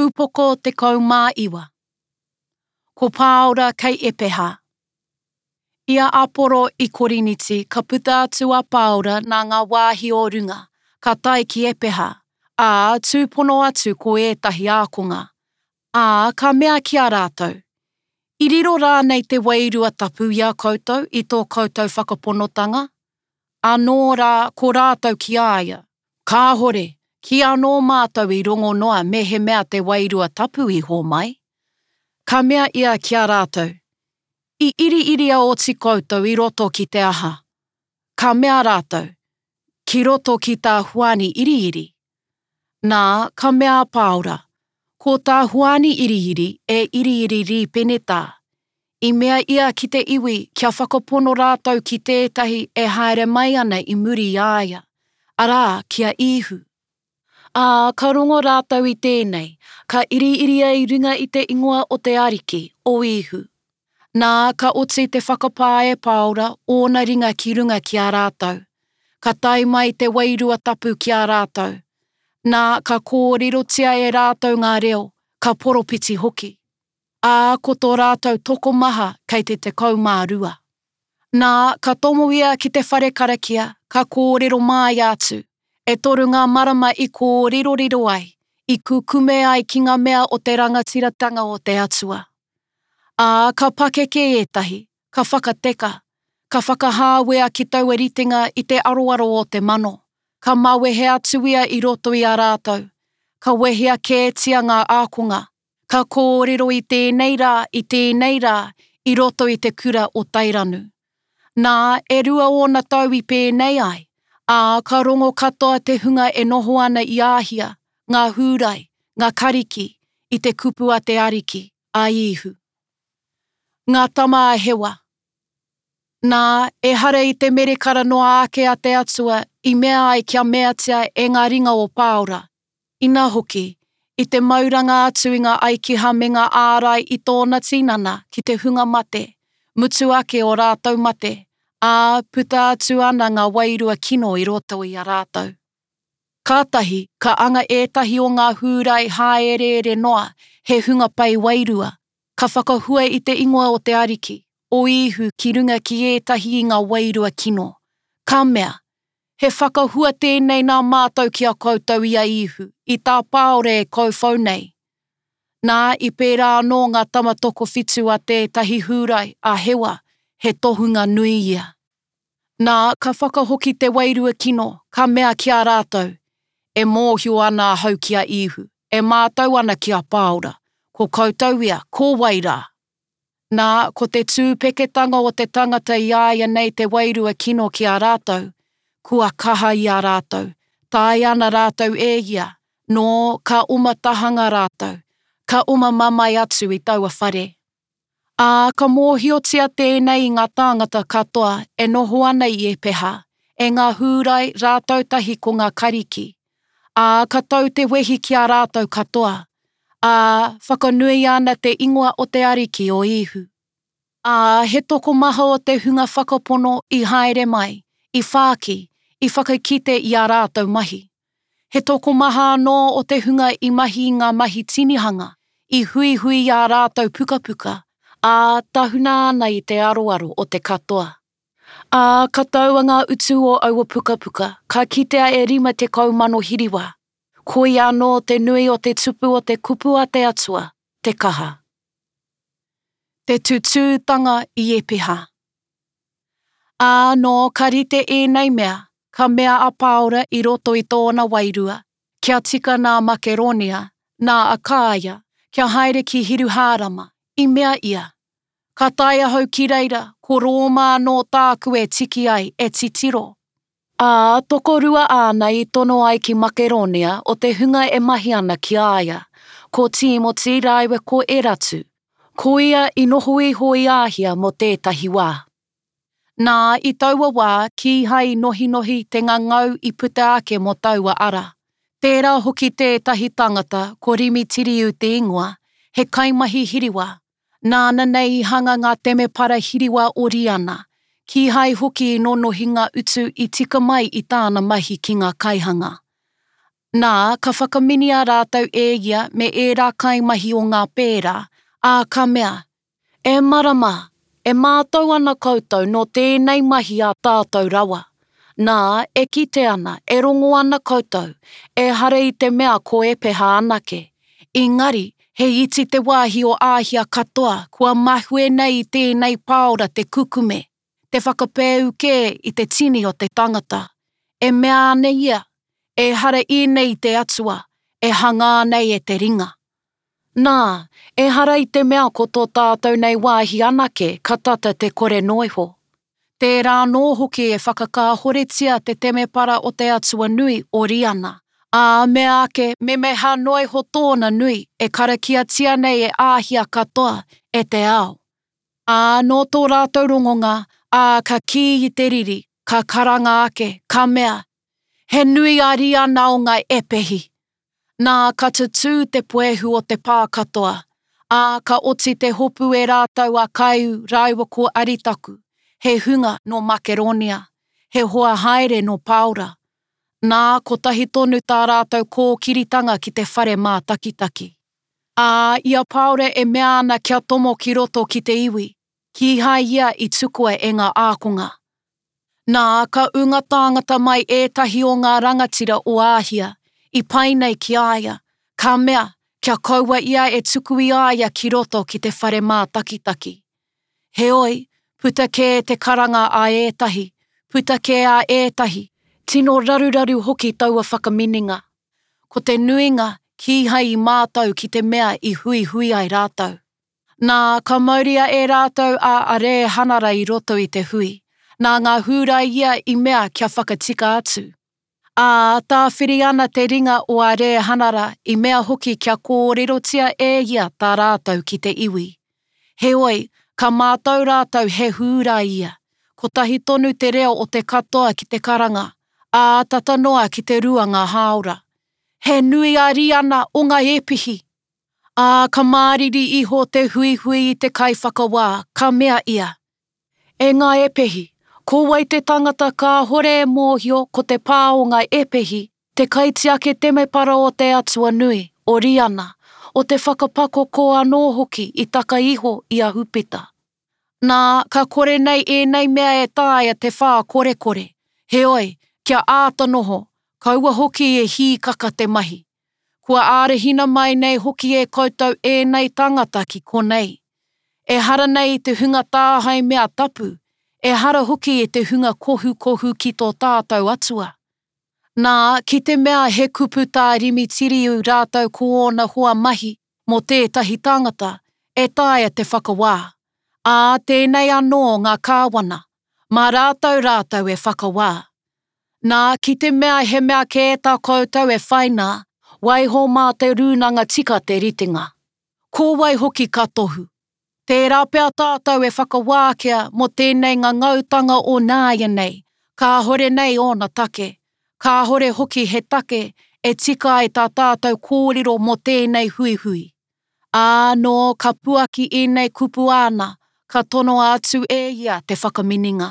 Upoko 19. Ko Pāora kei Epeha. I a Aporo i Koriniti ka puta atu a Pāora nā ngā wāhi o runga, ka tae ki Epeha, ā, tūpono atu ko ētahi ākonga. Ā, ka mea ki a rātou, I riro rānei te Wairua Tapu i a koutou i tō koutou whakaponotanga? Anō rā ko rātou ki a ia, Kāhore, kīanō mātou i rongo noa mehemea te Wairua Tapu i hōmai. Ka mea ia ki a rātou, I iriiria oti koutou i roto ki te aha? Ka mea rātou, Ki roto ki tā Hoani iriiri. Nā, ka mea a Pāora, Ko tā Hoani iriiri e iriiri rīpenetā. I mea ia ki te iwi kia whakapono rātou ki tētahi e haere mai ana i muri i a ia, arā, ki a Īhu. Ā, ka rongo rātou i tēnei, ka iriiria i runga i te ingoa o te Ariki, o Īhu. Nā, ka oti te whakapā e Pāora ōna ringa ki runga ki a rātou. Ka tae mai te Wairua Tapu ki a rātou. Nā, ka kōrerotia e rātou ngā reo, ka poropiti hoki. Ā, ko tō rātou tokomaha kei te 12. Nā, ka tomo ia ki te whare karakia, ka kōrero māia atu. E toru ngā marama i kōriroriro ai, i kukume ai ki ngā mea o te rangatiratanga o te Atua. Ā, ka pakeke ētahi, ka whakateka, ka whakahāwea ki taua ritenga i te aroaro o te mano, ka mawehe atu ia i roto i a rātou, ka wehea kētia ngā ākonga, ka kōrero i tēnei rā, i tēnei rā, i roto i te kura o Tairanu. Nā, e rua ōna tau i pēnei ai, ā, ka rongo katoa te hunga e noho ana i Āhia, ngā Hūrai, ngā Kariki, i te kupu a te Ariki, a Īhu. Ngā tama a Hewa. Nā, ehara i te merekara noa ake a te Atua i mea ai kia meatia e ngā ringa o Pāora, Ina hoki, i te mauranga atu i ngā aikiha me ngā ārai i tōna tinana ki te hunga mate, mutu ake ō rātou mate, ā, puta atu ana ngā wairua kino i roto i a rātou. Kātahi ka anga ētahi o ngā Hūrai hāereere noa, he hunga pai wairua, ka whakahua i te ingoa o te Ariki, o Īhu ki runga ki ētahi i ngā wairua kino, ka mea, He whakahua tēnei nā mātou ki a koutou i a Īhu, i tā Pāora e kauwhau nei. Nā, i pērā anō ngā tama tokowhitu a tētahi Hūrai, a Hewa, he tohunga nui ia. Nā, ka whakahoki te wairua kino, ka mea ki a rātou, E mōhio ana ahau ki a Īhu, e mātau ana ki a Pāora, ko koutou ia, ko wai rā? Nā, ko te tūpeketanga o te tangata i a ia nei te wairua kino ki a rātou, kua kaha i a rātou, taea ana rātou e ia, nō, ka oma tahanga rātou, ka oma mamae atu i taua whare. Ā, ka mōhiotia tēnei i ngā tāngata katoa e noho ana i Epeha, e ngā Hūrai rātou tahi ko ngā Kariki, ā, ka tau te wehi ki a rātou katoa, ā, whakanuia ana te ingoa o te Ariki o Īhu. Ā, he tokomaha o te hunga whakapono i haere mai, i whāki, i whakakite i ā rātou mahi. He tokomaha anō o te hunga i mahi i ngā mahi tinihanga, i huihui i ā rātou pukapuka, ā, tahuna ana i te aroaro o te katoa. Ā, ka taua ngā utu o aua pukapuka, ka kitea e 50,000 hiriwa. Koia anō te nui o te tupu o te kupu a te Atua, te kaha. Te tutūtanga i Epeha. Ā, nō ka rite ēnei mea, ka mea a Pāora i roto i tōna wairua, kia tika nā Makeronia, nā Akāia, kia haere ki Hiruhārama, i mea ia, Ka tae ahau ki reira, ko Rōma anō tāku e tiki ai, e titiro. Ā, tokorua āna i tono ai ki Makeronia o te hunga e mahi ana ki a ia, ko Tīmoti rāua ko Eratu, ko ia i noho iho i Āhia mō tētahi wā. Nā, i taua wā, kīhai i nohinohi te ngangau i puta ake mō taua ara. Tērā hoki tētahi tangata, ko Rimitiriu te ingoa, he kaimahi hiriwa, Nāna nei i hanga ngā temepara hiriwa o Riana, kīhai hoki i nonohi ngā utu i tika mai i tāna mahi ki ngā kaihanga. Nā, ka whakaminia rātou e ia me ērā kaimahi o ngā pērā, ā, ka mea, E marama, e mātau ana koutou nō tēnei mahi ā tātou rawa. Nā, e kite ana, e rongo ana koutou, ehara i te mea ko Epeha anake, engari, he iti te wāhi o Āhia katoa kua mahue nei i tēnei Pāora te kukume, te whakapēu kē i te tini o te tangata. E mea ana ia, Ehara ēnei i te Atua, e hangā nei e te ringa. Nā, ehara i te mea ko tō tātou nei wāhi anake ka tata te kore noa iho. Tērā anō hoki e whakakāhoretia te temepara o te atua nui o Riana, ā, mea ake memeha noa iho tōna nui e karakiatia nei e Āhia katoa, e te ao. Ā, nō tō rātou rongonga, ā, ka kī i te riri, ka karanga ake, ka mea, He nui a Riana o ngā Epehi! Nā, ka tutū te puehu o te pā katoa, ā, ka oti te hopu e rātou a Kaiu rāua ko Aritaku, he hunga nō Makeronia, he hoa haere nō Pāora. Nā, kotahi tonu tā rātou kōkiritanga ki te whare mātakitaki. Ā, i a Pāora e mea ana kia tomo ki roto ki te iwi, kīhai ia i tukua e ngā ākonga. Nā, ka ū ngā tāngata mai ētahi o ngā rangatira o Āhia, i pai nei ki a ia, ka mea, kia kaua ia e tuku i a ia ki roto ki te whare mātakitaki. Heoi, puta kē te karanga a ētahi, puta kē a ētahi, tino raruraru hoki taua whakaminenga. Ko te nuinga, kīhai i mātau ki te mea i huihui ai rātou. Nā, ka mauria e rātou a Arēhanara i roto i te hui, nā ngā Hūrai ia i mea kia whakatika atu. Ā, tāwhiri ana te ringa o Arēhanara i mea hoki kia kōrerotia e ia tā rātou ki te iwi. Heoi, ka mātau rātou he Hūrai ia, kotahi tonu te reo o te katoa ki te karanga, ā, tata noa ki te ruanga hāora. He nui a Riana o ngā Epihi! Ā, ka māriri iho te huihui i te kaiwhakawā, ka mea ia, E ngā Epehi, ko wai te tangata kāhore e mōhio ko te pā o ngā Epehi, te kaitiaki temepara o te Atua nui, o Riana, o te whakapakoko anō hoki i taka iho i a Hupita? Nā, ka kore nei ēnei mea e taea te whākorekore, heoi, kia āta noho, kaua hoki e hīkaka te mahi. Kua ārahina mai nei hoki e koutou ēnei tāngata ki konei. Ehara nei i te hunga tāhae mea tapu, ehara hoki i te hunga kohukohu ki tō tātou Atua. Nā, ki te mea he kupu tā Rimitiriu rātou ko ōna hoa mahi mō tētahi tangata, e taea te whakawā. Ā, tēnei anō ngā kāwana, mā rātou rātou e whakawā. Nā, ki te mea he mea kē tā koutou e whai nā, waiho mā te rūnanga tika te ritenga. Ko wai hoki ka tohu? Tērā pea tātou e whakawākia mō tēnei ngangautanga o nāianei, kāhore nei ōna take, kāhore hoki he take e tika ai tā tātou kōrero mō tēnei huihui. Ā, nō ka puaki ēnei kupu āna, ka tonoa atu e ia te whakaminenga.